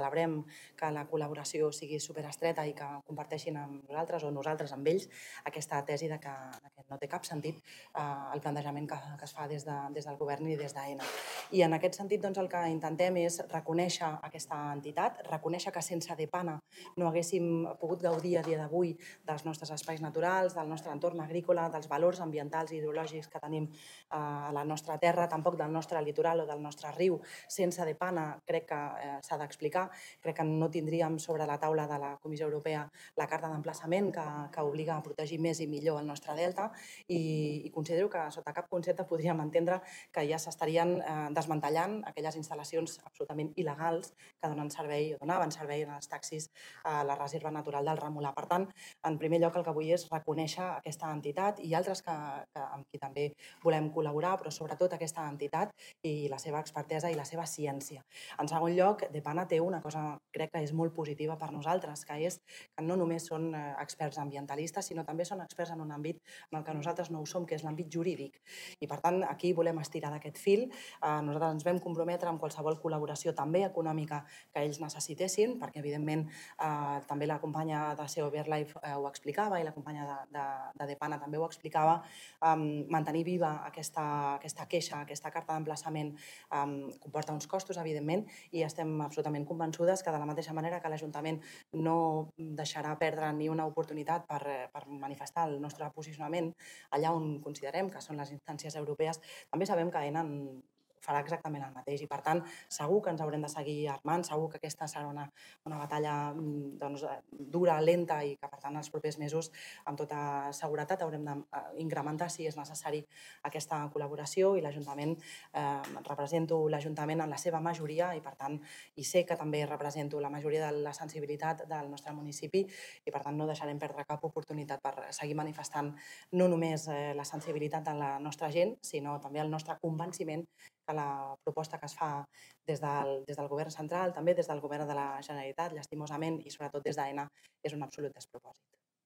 celebrem que la col·laboració sigui superestreta i que comparteixin amb nosaltres o nosaltres amb ells aquesta tesi de que no té cap sentit el plantejament que es fa des del govern i des d'AENA. I en aquest sentit el que intentem és reconèixer aquesta entitat, reconèixer que sense DEPANA no haguéssim pogut gaudir a dia d'avui dels nostres espais naturals, del nostre entorn agrícola, dels valors ambientals i ideològics que tenim a la nostra terra, tampoc del nostre litoral o del nostre riu. Sense DEPANA crec que s'ha d'explicar. Crec que no tindríem sobre la taula de la Comissió Europea la carta d'emplaçament que obliga a protegir més i millor el nostre delta i considero que sota cap concepte podríem entendre que ja s'estarien desmantellant aquelles instal·lacions absolutament il·legals que donen servei o donaven servei als taxis a la reserva natural del Remolà. Per tant, en primer lloc el que vull és reconèixer aquesta entitat i altres amb qui també volem col·laborar, però sobretot aquesta entitat i la seva expertesa i la seva ciència. En segon lloc, DEPANA té una cosa, crec que és molt positiva per nosaltres, que és que no només són experts ambientalistes, sinó també són experts en un àmbit en el que nosaltres no ho som, que és l'àmbit jurídic. I, per tant, aquí volem estirar d'aquest fil. Nosaltres ens vam comprometre amb qualsevol col·laboració també econòmica que ells necessitessin, perquè, evidentment, també la companya de SEO BirdLife ho explicava i la companya de DEPANA també ho explicava, mantenir viva aquesta queixa, aquesta carta d'emplaçament comporta uns costos, evidentment, i estem absolutament convençudes que de la mateixa manera que l'Ajuntament no deixarà perdre ni una oportunitat per manifestar el nostre posicionament allà on considerem que són les instàncies europees, també sabem que AENA farà exactament el mateix i, per tant, segur que ens haurem de seguir armant, segur que aquesta serà una batalla dura, lenta i que, per tant, els propers mesos, amb tota seguretat, haurem d'incrementar, si és necessari, aquesta col·laboració i l'Ajuntament, represento l'Ajuntament en la seva majoria i, per tant, i sé que també represento la majoria de la sensibilitat del nostre municipi i, per tant, no deixarem perdre cap oportunitat per seguir manifestant no només la sensibilitat de la nostra gent, sinó també el nostre convenciment que la proposta que es fa des del govern central, també des del govern de la Generalitat, llastimosament, i sobretot des d'AENA, és un absolut despropòsit.